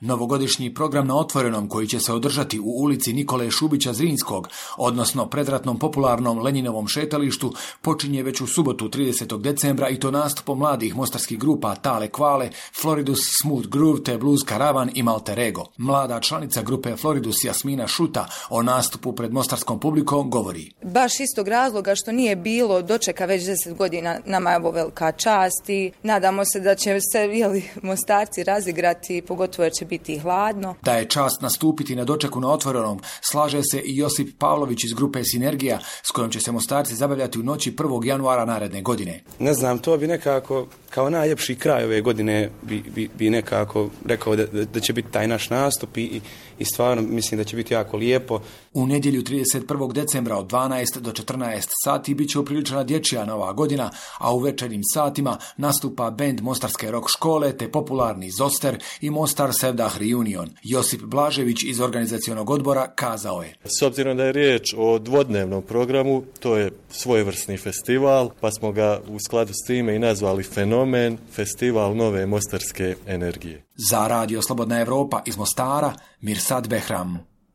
Novogodišnji program na Otvorenom, koji će se održati u ulici Nikole Šubića Zrinskog, odnosno predratnom popularnom Lenjinovom šetalištu, počinje već u subotu 30. decembra i to nastupom mladih mostarskih grupa Tale Kvale, Floridus, Smooth Groove te Blues Karavan i Malter Ego. Mlada članica grupe Floridus Jasmina Šuta o nastupu pred mostarskom publikom govori. Baš istog razloga što nije bilo dočeka već 10 godina, nama je ovo velika čast i nadamo se da će se Mostarci razigrati, pogotovo jer će biti hladno. Da je čast nastupiti na dočeku na Otvorenom, slaže se i Josip Pavlović iz grupe Sinergija, s kojom će se Mostarci zabavljati u noći 1. januara naredne godine. Ne znam, to bi nekako kao najljepši kraj ove godine bi nekako rekao da će biti taj naš nastup i stvarno mislim da će biti jako lijepo. U nedjelju 31. decembra od 12 do 14 sati bit će upriličena dječja Nova godina, a u večernjim satima nastupa bend Mostarske rock škole te popularni Zoster i Mostar Sevdah Reunion. Josip Blažević iz organizacionog odbora kazao je. S obzirom da je riječ o dvodnevnom programu, to je svojevrsni festival, pa smo ga u skladu s time i nazvali Fenomen, festival nove mostarske energije. Za Radio Slobodna Evropa iz Mostara, Mirsad Behram.